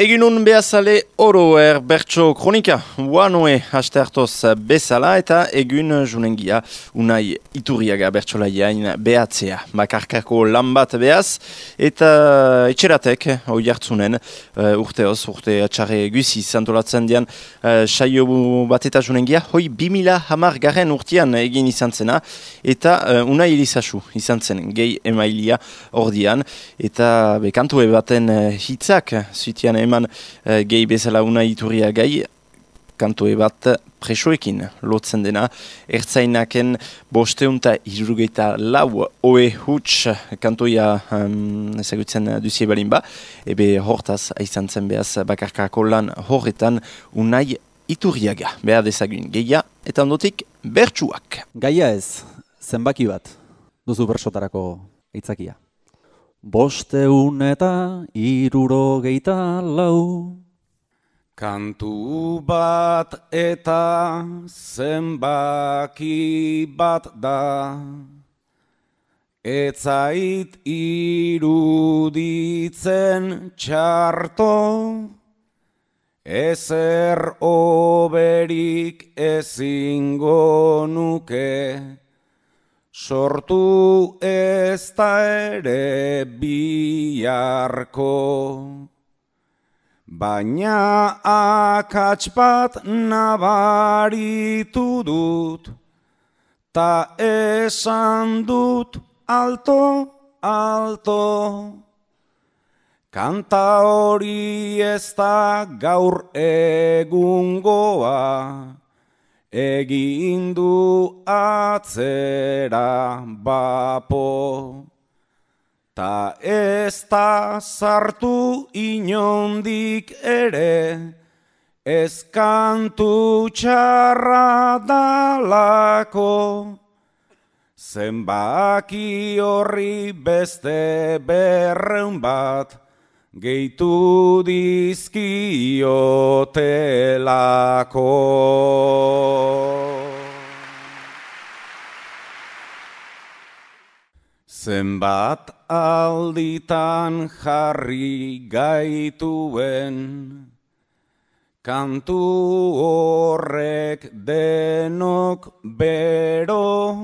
Eginun behazale oroer bertso kronika, uanoe haste hartoz bezala eta egun junengia unai iturriaga bertsolaiain behatzea. Bakarkako lan bat behaz eta etxeratek hoi hartzunen urte atxarre guzi zantolatzen dian saio bat eta junengia hoi 2010 garen urtean egin izan zena eta unai elizasu izan zen gehi emailia ordian eta bekantue baten hitzak zuitian eman gehi bezala unai iturria gai kantue bat presoekin lotzen dena ertzainaken 574 oe huts kantoia ezagutzen duzie balin ba ebe hortaz aizan zen behaz bakarkako lan horretan unai iturriaga behar dezagun geia eta ondotik bertsuak. Gaia ez, zenbaki bat duzu bersotarako aitzakia. 574 Kantu bat eta zenbaki bat da, etzait iruditzen txarto, ezer oberik ezingo nuke, sortu ez da ere biharko. Baina akats bat nabaritu dut, ta esan dut alto, alto. Kanta hori ez da gaur egungoa, egin du atzera bapo. Ta ez da sartu inondik ere, ez kantu txarra dalako. Zenbaki horri beste 200 bat, gehitu dizkiotelako. Zenbat alditan jarri gaituen, kantu horrek denok bero,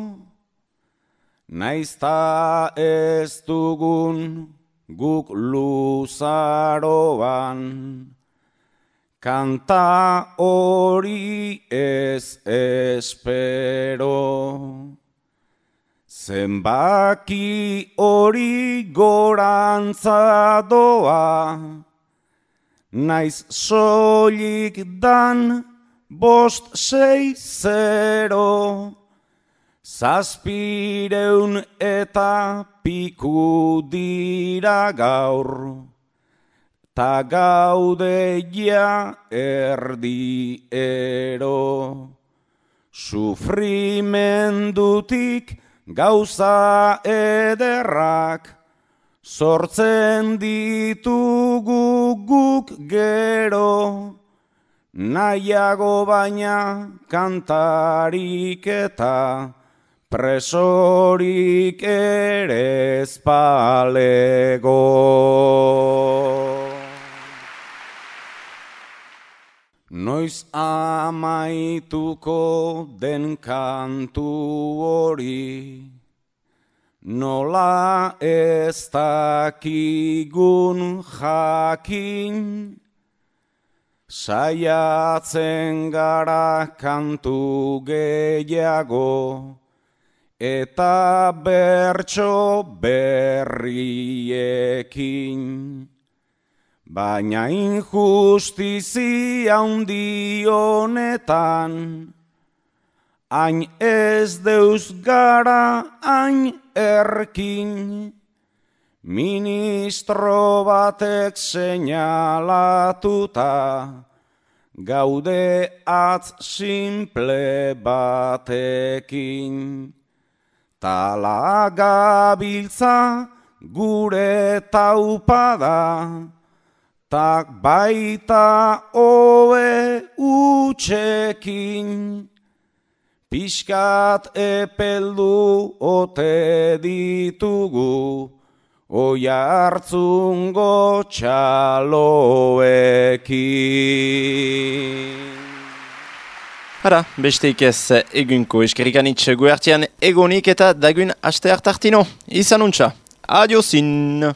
naizta ez dugun guk luzaroan, kanta hori ez espero. Zenbaki hori gorantza doa, naiz soilik dan 560, 700 eta piku dira gaur, ta gaude ja erdiero. Sufrimendutik gauza ederrak sortzen ditugu guk gero, nahiago baina kantarik eta presorik ere ez balego. Noiz amaituko den kantu hori, nola ez dakigun jakin, saiatzen gara kantu gehiago, eta bertso berriekin. Baina injustizia handi honetan, hain ez deuz gara hain erkin, ministro batek seinalatuta, gaude atz simple batekin. Tala gabiltza gure taupada, tak baita hobe utxekin, Piskat epeldu ote ditugu, Oiartzungo txaloekin. Hara, besteik ez egunko eskerrikanitz guertian egonik eta dagun aste hartartino. Izan untxa, adiozin!